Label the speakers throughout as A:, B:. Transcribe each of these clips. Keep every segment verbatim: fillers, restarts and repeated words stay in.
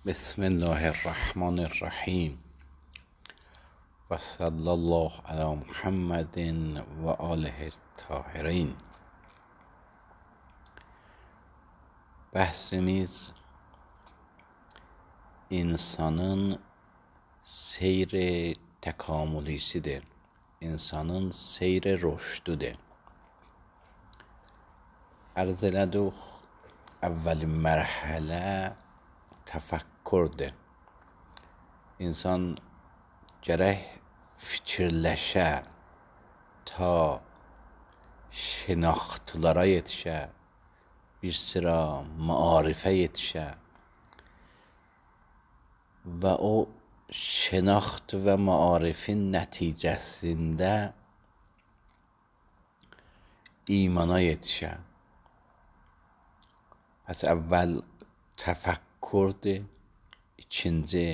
A: بسم الله الرحمن الرحیم و صلی الله علی محمد و آله الطاهرین. Bəhsimiz insanın seyr təkamülisidir. İnsanın seyr rüşdüdür. Ərz elədik, əvvəl mərhələ təfəkkürdür. İnsan gərək fikirləşə ta şinaxtlara yetişə, bir sıra maarifə yetişə və o şinaxt və maarifin nəticəsində imana yetişə. Pəs əvvəl təfəkkürdür, ikinci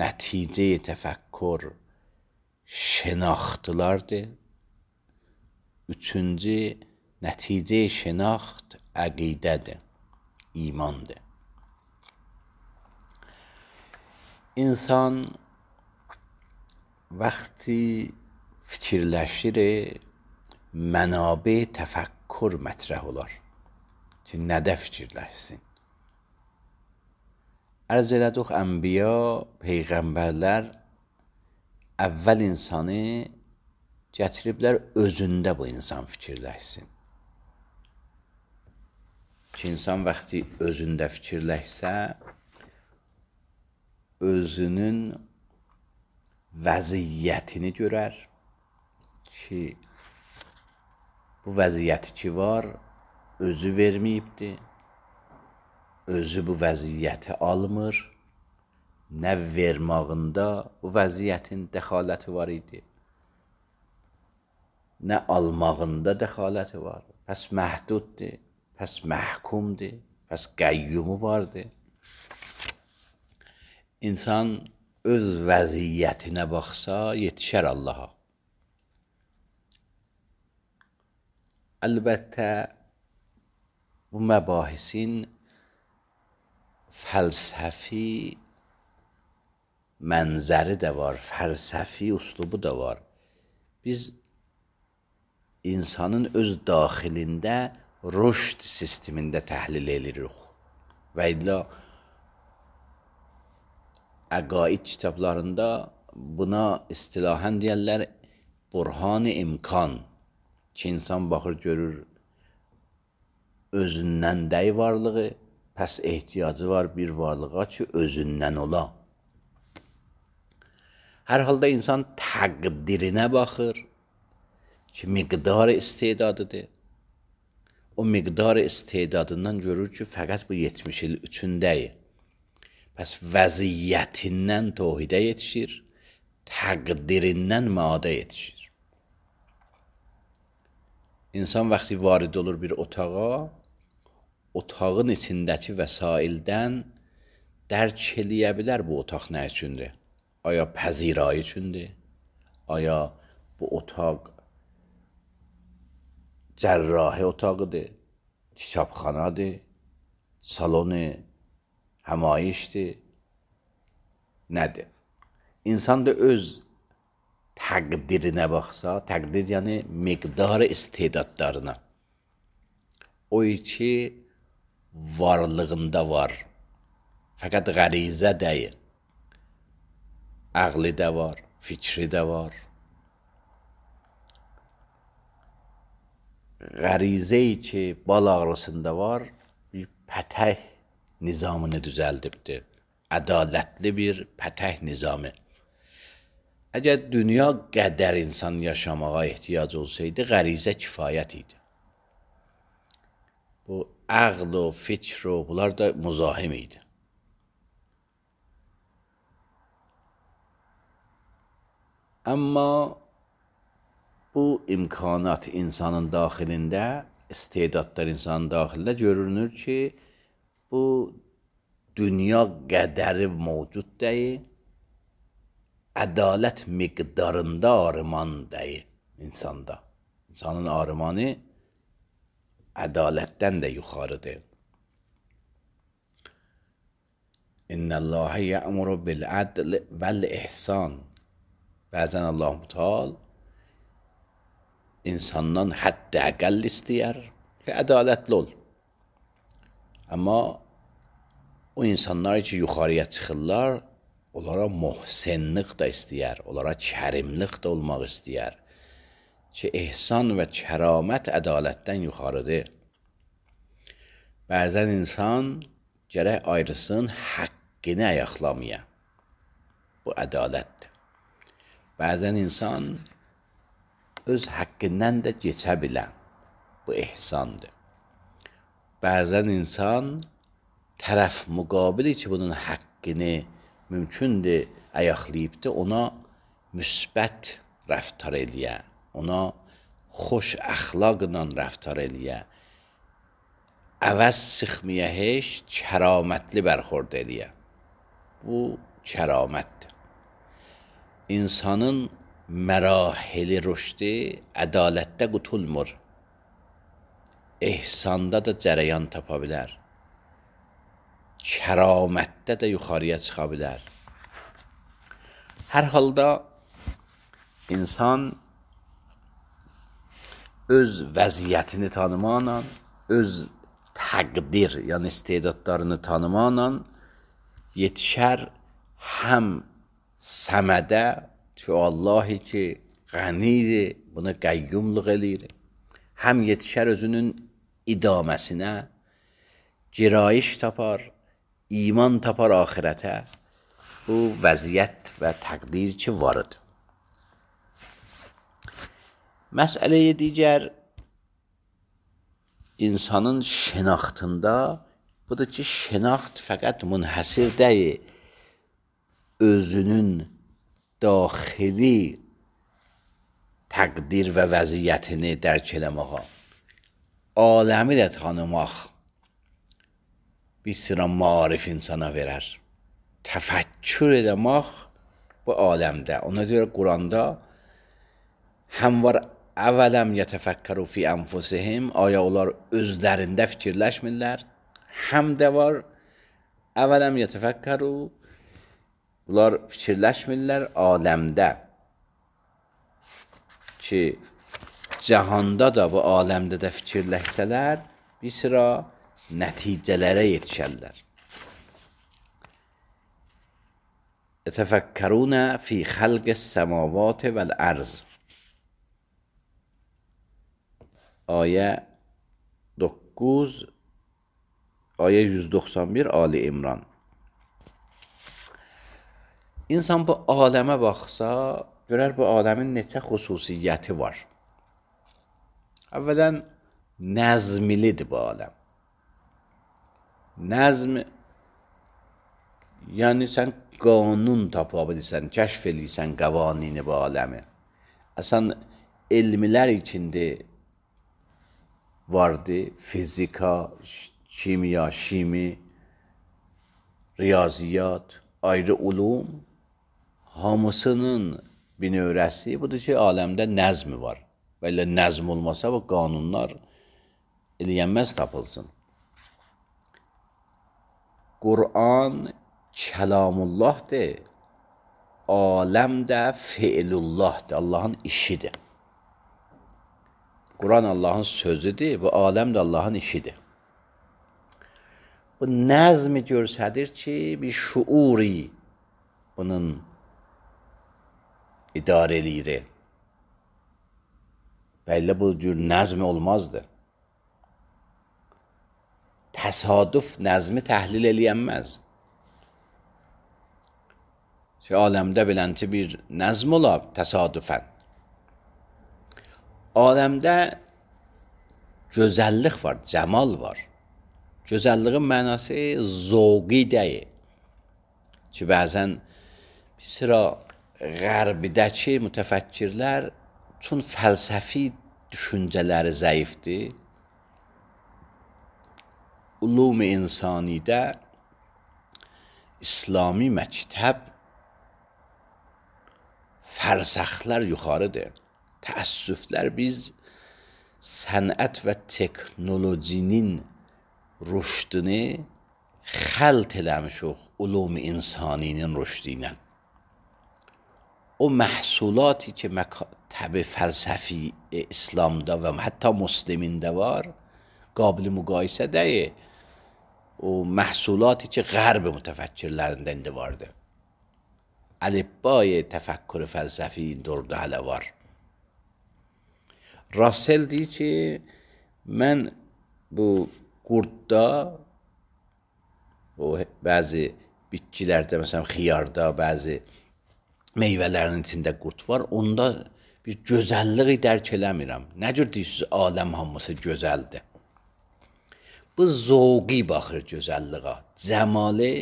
A: nəticə təfəkkür şinaxtlardır, üçüncü nəticə şinaxt əqidədir, imandır. İnsan vaxtı fikirləşir, mənabə təfəkkür mətrəh olar ki, nədə fikirləşsin. Ərz elədik, ənbiya, peyğəmbərlər əvvəl insanı gətiriblər özündə bu insan fikirləşsin. Ki, insan vaxtı özündə fikirləşsə, özünün vəziyyətini görər ki, bu vəziyyəti ki var, özü verməyibdir, özü bu vəziyyəti almır, nə vermağında bu vəziyyətin dəxaləti var idi, nə almağında dəxaləti var. Pəs məhduddur, pəs məhkumdur, pəs qəyyumu vardır. İnsan öz vəziyyətinə baxsa, yetişər Allaha. Əlbəttə, bu məbahisin fəlsəfi mənzəri də var, fəlsəfi üslubu da var. Biz insanın öz daxilində rüşd sistemində təhlil edirik. Və illa əqaid kitablarında buna istilahən deyərlər burhan-ı imkan, ki, insan baxır, görür özündən dəy varlığı, pəs ehtiyacı var bir varlığa ki, özündən ola. Hər halda insan təqdirinə baxır ki, miqdar istedadıdır. O miqdar istedadından görür ki, fəqət bu yetmiş il üçündəyir. Pəs vəziyyətindən tohidə yetişir, təqdirindən maada yetişir. İnsan vaxtı varid olur bir otağa, otağın içindəki vəsaildən dərk eləyə bilər bu otaq nə üçündür? Aya pəzirayı üçündür? Aya bu otaq cərrahi otağıdır, kitabxanadır, salonu həmayişdir, nədir? İnsan da öz təqdirinə baxsa, təqdir yəni miqdar istedadlarına, o ki varlığında var, fəqət qərizə deyil, əqli də var, fikri də var. Qərizəyi ki bal ağrısında var, bir pətək nizamını düzəldibdir, ədalətli bir pətək nizamı. Əgər dünya qədər insan yaşamağa ehtiyac olsaydı, qərizə kifayət idi. Bu əql o, fikr o, bunlar da müzahim idi. Amma bu imkanat insanın daxilində, istedadlar insanın daxilində görünür ki, bu dünya qədəri mövcud deyil, ədalət miqdarında arıman deyil insanda. İnsanın arımanı ədalətdən də yuxarıdır. ان الله یأمر بالعدل والاحسان. Bəzən Allah Teala insandan hədd əqəll istəyər ki, ədalətli ol. Amma o insanlar ki, yuxarıya çıxırlar, onlara muhsinlik da istəyər, onlara kərimlik də olmaq istəyər. Ki, ehsan və kəramət ədalətdən yuxarıdır. Bəzən insan gərək ayrısın, haqqını ayaqlamaya. Bu ədalətdir. Bəzən insan öz haqqından da keçə bilən. Bu ehsandır. Bəzən insan tərəf müqabili ki, bunun haqqını mümkündür ayaqlayıbdır, ona müsbət rəftar eləyə, ona xoş əxlaqla rəftar eləyə, əvəz çıxmaya heç kəramətli bərxord eləyə. Bu kəramətdir. İnsanın mərahili rüşdi ədalətdə qutulmur. Ehsanda da cərəyan tapa bilər. Kəramətdə də yuxarıya çıxa bilər. Hər halda insan öz vəziyyətini tanımaqla, öz təqdir, yəni istedadlarını tanımaqla yetişər həm səmədə ki, Allahi ki, qənidir, buna qəyyumluq eləyir, həm yetişər özünün idaməsinə, girayiş tapar, iman tapar axirətə. Bu vəziyyət və təqdir ki, varıdır. Məsələyə digər insanın şənaxtında budur ki, şənaxt fəqət münhəsir deyil, özünün daxili təqdir və vəziyyətini dərk eləməyə, aləmi də tanımaq bir sıra marif insana verər. Təfəkkür eləmək bu aləmdə. Ona görə Quranda həm var əvələm yətəfəkkəru fi ənfusihim, aya onlar özlərində fikirləşmirlər, həm də var əvələm yətəfəkkəru, bunlar fikirləşmirlər aləmdə ki, cəhanda da bu aləmdə də fikirləşsələr bir sıra nəticələrə yetişərlər. Yətəfəkkərunə fi xəlqis səmavat vəl-ərz. Ayə doqquz, ayə yüz doxsan bir Ali İmran. İnsan bu aləmə baxsa, görər bu aləmin neçə xüsusiyyəti var. Əvvələn, nəzmilidir bu aləm. Nəzm, yəni sən qanun tapa bilirsən, kəşf edirsən qavanini bu aləmi. Əsən elmlər içində vardı, fizika, kimya, şimi, riyaziyyat, ayrı ulum, hamısının binövrəsi budur ki, aləmdə nəzmi var. Və elə nəzm olmasa bu qanunlar eləyənməz tapılsın. Qur'an kəlamullahdır, aləm də fiilullahdır, Allahın işidir. Qur'an Allahın sözüdür, bu aləm də Allahın işidir. Bu nəzmi görsədir ki, bir şuuri bunun idarə eləyir. Və elə bu cür nəzmi olmazdı. Təsadüf nəzmi təhlil eləyənməz. Ki, aləmdə bilənti bir nəzm olar təsadüfən. Aləmdə gözəllik var, cəmal var. Gözəlliğin mənası zövqi deyil. Ki, bəzən bir sıra qərbidəki mütəfəkkirlər çün fəlsəfi düşüncələri zəifdir. Ulum-i insanidə İslami məktəb fərsəxlər yuxarıdır. Təəssüflər biz sənət və teknolojinin rüşdünü xəlt eləmişik ulum insaninin rüşdü ilə. O məhsulaتی ki məktəbi fəlsəfi İslamda və hətta Müslimində var, qabil müqayisə deyil. O məhsulaتی ki Qərb mütəfəkkirlərində indi vardı. Əlifbay təfəkkür fəlsəfi orada hələ var. Russell deyir ki, mən bu qurdda, o bəzi bitkilərdə, məsələn xiyarda, bəzi meyvələrin içində qurd var, onda bir gözəlliyi dərk eləmirəm. Nə cür deyirsiniz, aləm hamısı gözəldir. Bu zövqi baxır gözəlliyə, cəmalı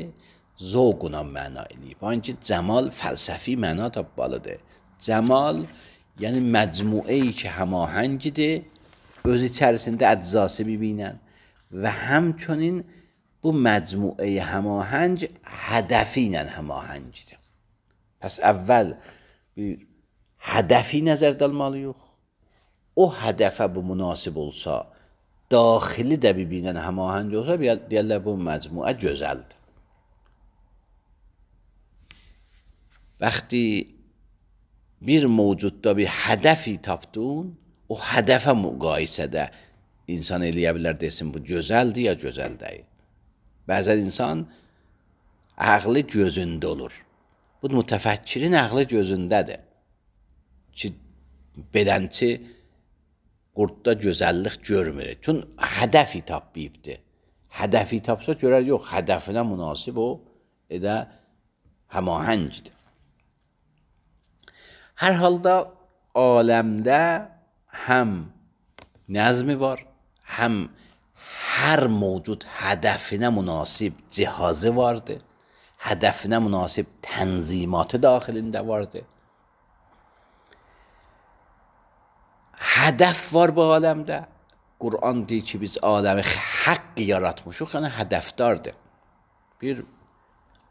A: zövquna məna eləyib. Hanki cəmal fəlsəfi məna tapmalıdır. Cəmal, yəni məcmuəyi ki həmahəngidir, öz içərisində əczası bibinən və həmçinin bu məcmuəyi həmahəng hədəfi ilə həmahəngidir. Pəs əvvəl bir hədəfi nəzərdə almalıyıq. O hədəfə bu münasib olsa, daxili də bibinən həmahəng olsa, deyərlər bu məcmuə gözəldir. Vəxti bir mövcudda bir hədəfi tapdın, o hədəfə müqayisədə insan eləyə bilər desin, bu gözəldir ya gözəl deyil. Bəzən insan ağlı gözündə olur. Bu mütəfəkkirin ağlı gözündədir. Ki, belənçi qurdda gözəllik görmür. Çün hədəfi tapmayıbdır. Hədəfi tapsa görər, yox, hədəfinə münasib o, edə həmahəngdir. Hər halda aləmdə həm nəzmi var, həm hər mövcud hədəfinə münasib cihazı vardır, hədəfinə münasib tənzimatı daxilində vardır. Hədəf var bu aləmdə. Quran deyir ki, biz aləmi haqq yaratmışıq, yəni hədəfdardır. Bir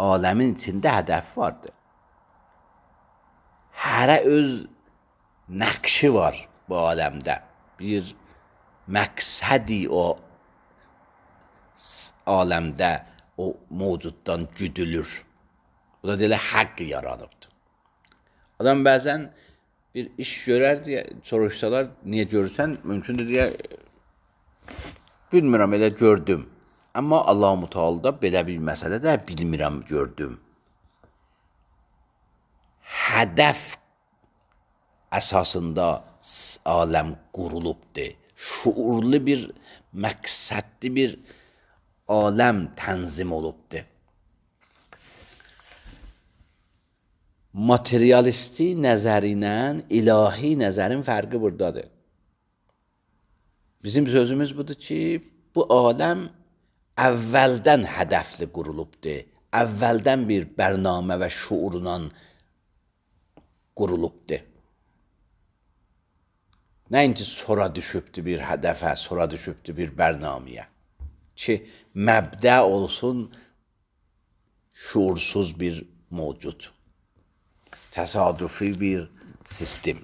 A: aləmin içində hədəf vardır. Hərə öz nəqşi var bu aləmdə. Bir məqsədi o aləmdə o mövcuddan güdülür. Bu da deyilə haqq yaranıbdır. Adam bəzən bir iş görər deyə soruşsalar, niyə görürsən? Mümkündür deyə, bilmirəm, elə gördüm. Amma Allah-u Teala'da belə bir məsələ də bilmirəm, gördüm. Hədəf əsasında aləm qurulubdur. Şuurlu bir, məqsədli bir aləm tənzim olubdur. Materialisti nəzəri ilə ilahi nəzərin fərqi buradadır. Bizim sözümüz budur ki, bu aləm əvvəldən hədəfli qurulubdur. Əvvəldən bir bərnamə və şuurla qurulubdur. Nəinki sonra düşübdür bir hədəfə, sonra düşübdür bir bərnaməyə. Ki, məbdə olsun şuursuz bir mövcud. Təsadüfi bir sistem.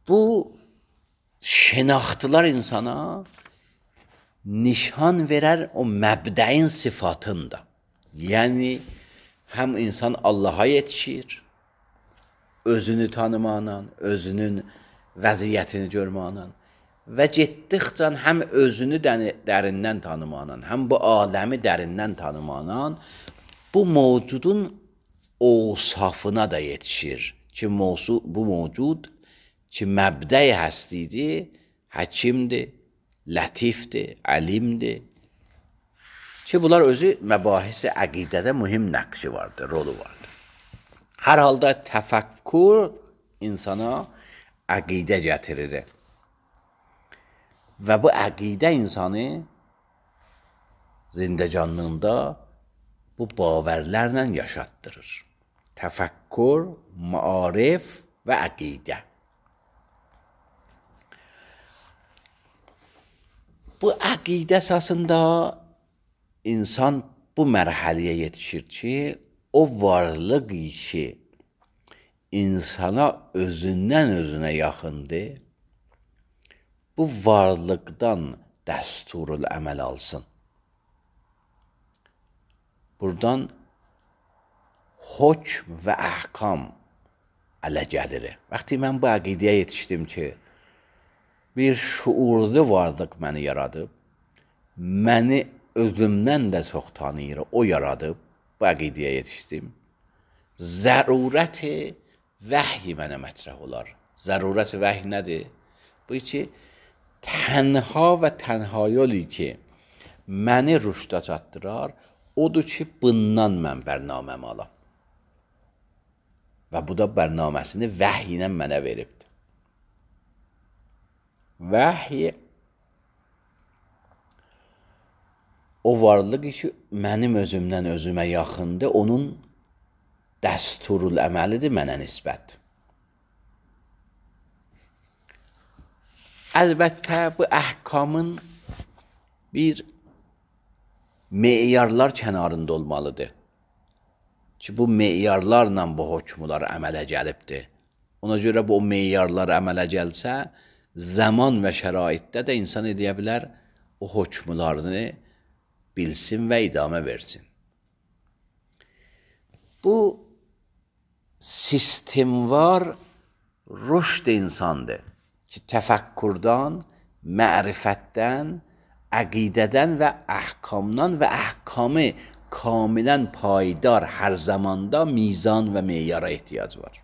A: Bu şinaxtılar insana nişan verər o məbdəin sıfatında. Yəni, həm insan Allaha yetişir, özünü tanımaqla, özünün vəziyyətini görməklə və getdikcə həm özünü dərindən tanımaqla, həm bu aləmi dərindən tanımaqla bu mövcudun ovsafına da yetişir ki, bu mövcud ki, məbdə-i həstidir, həkimdir, lətifdir, əlimdir ki, bunlar özü məbahisi əqidədə mühim nəqşi vardır, rolu vardır. Hər halda təfəkkür insana əqidə gətirir və bu əqidə insanı zindəcanlığında bu bağərlərlə yaşatdırır. Təfəkkür, maarif və əqidə. Bu əqidə əsasında insan bu mərhələyə yetişir ki, o varlıq ki, insana özündən özünə yaxındır, bu varlıqdan dəsturul əməl alsın. Buradan hökm və əhkam ələ gəlir. Vaxtı mən bu əqidəyə yetişdim ki, bir şuurlu varlıq məni yaradıb, məni özümdən də çox tanıyır, o yaradıb, bu əqidəyə yetişdim. Zərurəti vəhy mənə mətrəh olar. Zərurəti vəhy nədir? Bu ki, tənha və tənha yolu ki, məni rüşdə çatdırar, odur ki, bundan mən bərnaməmi alam. Və bu da bərnaməsini vəhy ilə mənə veribdir. Vəhy o varlıq ki, mənim özümdən özümə yaxındır, onun dəsturul əməlidir mənə nisbət. Əlbəttə, bu əhkamın bir meyarlar kənarında olmalıdır. Ki, bu meyarlarla bu hökmlər əmələ gəlibdir. Ona görə bu meyarlar əmələ gəlsə, zaman və şəraitdə də insan edə bilər, o hökmlərini bilsin və idamə versin. Bu sistemvar rüşd insandır ki, təfəkkürdən, mərifətdən, əqidədən və əhkamdan və əhkamı kamilən payidar hər zamanda mizan və meyara ehtiyac var.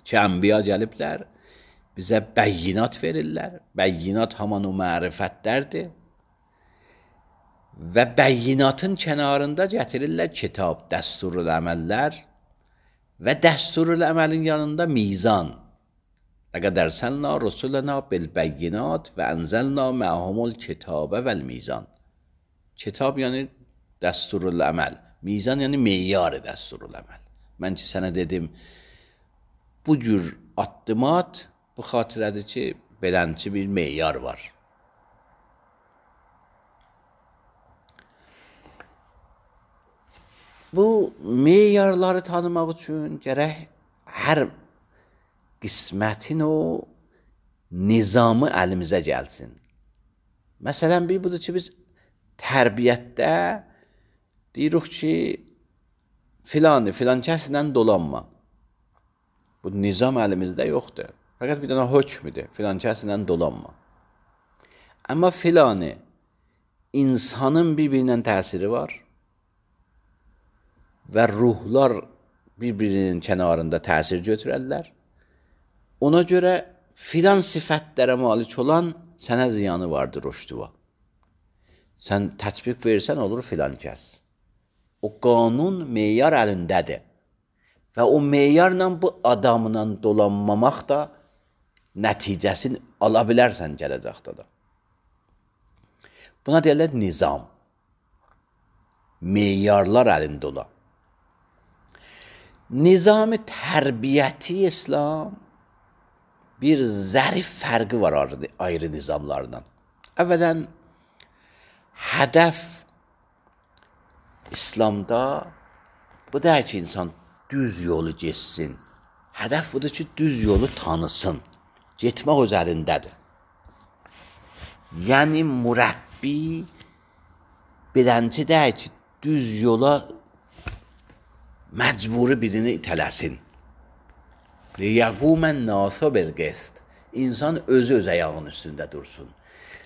A: Ki, ənbiya gəliblər, bizə bəyyinat verirlər. Bəyyinat haman o mərifətlərdir. Və bəyyinatın kənarında gətirirlər kitab, dəsturul əməllər və dəsturul əməlin yanında mizan. Ləqəd ərsəlnə rusulənə bilbəyyinat və ənzəlnə mə'humul kitabə vəl mizan. Kitab yəni dəsturul əməl, mizan yəni meyar dəsturul əməl. Mən ki, sənə dedim, bu cür addımat bu xatirədir ki, belənçi bir meyar var. Bu meyarları tanımaq üçün gərək hər qismətin o nizamı əlimizə gəlsin. Məsələn, bir budur ki, biz tərbiyyətdə deyirik ki, filanı, filan kəslə dolanma. Bu nizam əlimizdə yoxdur. Fəqət bir dənə hökmüdür, filan kəslə dolanma. Amma filanı insanın bir-birinin təsiri var və ruhlar bir-birinin kənarında təsir götürərlər. Ona görə filan sifətlərə malik olan sənə ziyanı vardır rüşdüva. Sən tətbiq versən olur filan kəs. O qanun meyar əlindədir. Və o meyarla bu adamla dolanmamaq da nəticəsini ala bilərsən gələcəkdə da. Buna deyirlər nizam. Meyarlar əlində olan. Nizam-ı tərbiyyəti İslam bir zərif fərqi var ayrı nizamlardan. Əvvələn, hədəf İslamda bu deyil ki, insan düz yolu geçsin. Hədəf budur ki, düz yolu tanısın. Getmək öz əlindədir. Yəni, mürəbbi bilənci deyil ki, düz yola məcburi birini itələsin. Liyəqumən naso bilqist. İnsan özü öz ayağının üstündə dursun.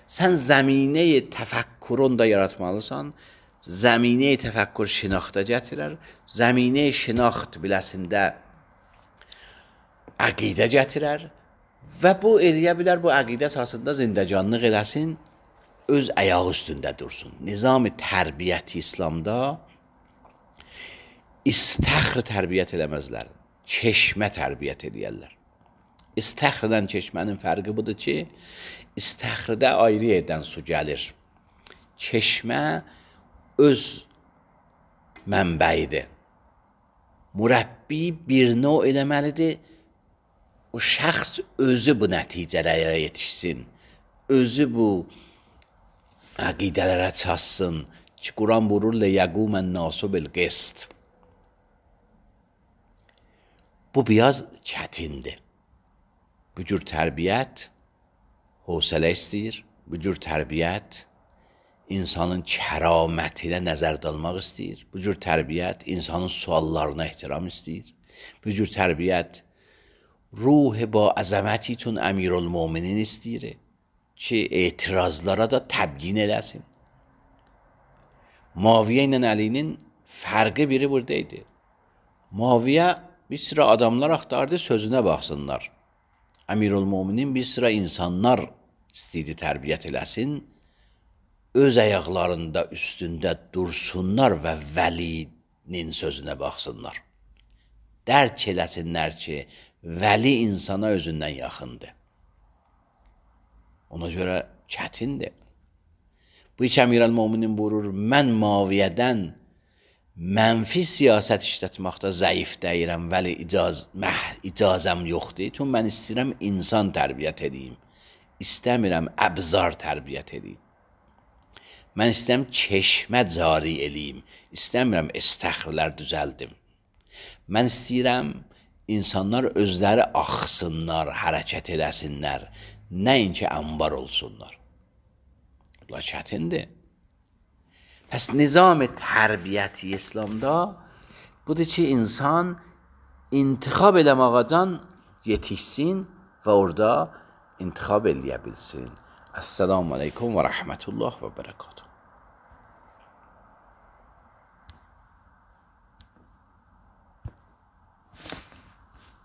A: Sən zəminəyi təfəkkürün da yaratmalısan, zəminəyi təfəkkür şinaxta gətirər, zəminəyi şinaxt biləsində əqidə gətirər və bu eləyə bilər, bu əqidə əsasında zindəcanlıq eləsin, öz ayağı üstündə dursun. Nizam-ı tərbiyyəti İslamda istəxr tərbiyyət eləməzlər, çeşmə tərbiyyət eləyərlər. İstəxrdən çeşmənin fərqi budur ki, istəxrdə ayrı yerdən su gəlir. Çeşmə öz mənbəyidir. Mürəbbi bir növ eləməlidir, o şəxs özü bu nəticələrə yetişsin, özü bu əqidələrə çatsın ki, Quran buyurur, liyəqumən nasu bilqist. Bu biraz çətindir. Bu cür tərbiyyət hövsələ istəyir. Bu cür tərbiyyət insanın kəramətinə nəzərdə almaq istəyir. Bu cür tərbiyyət insanın suallarına ehtiram istəyir. Bu cür tərbiyyət ruh ba əzəməti üçün əmirülmüminin istəyir ki, etirazlara da təbyin eləsin. Muaviyə ilə Əlinin fərqi biri buradaydı. Muaviyə bir sıra adamlar axtardı, sözünə baxsınlar. Əmirülmüminin bir sıra insanlar istəyirdi tərbiyyət eləsin. Öz ayaqlarında üstündə dursunlar və vəlinin sözünə baxsınlar. Dərk eləsinlər ki, vəli insana özündən yaxındır. Ona görə çətindir. Bu iki Əmirülmüminin buyurur, mən Muaviyyədən mənfi siyasət işlətməkdə zəif deyirəm, vəli icaz, məh, icazəm yoxdur. Çünki mən istəyirəm insan tərbiyyət edeyim. İstəmirəm əbzar tərbiyyət edeyim. Mən istəyirəm çeşmə cari eləyim. İstəmirəm estəxrlər düzəldim. Mən istəyirəm insanlar özləri axsınlar, hərəkət eləsinlər. Nəinki ənbar olsunlar. Bunlar çətindir. Pəs nizam tərbiyyəti İslamda budur ki, insan intixab eləmağadan yetişsin və orada intixab eləyə bilsin. Əssəlamu aleykum və rəhmətullah və bərəkatuhu.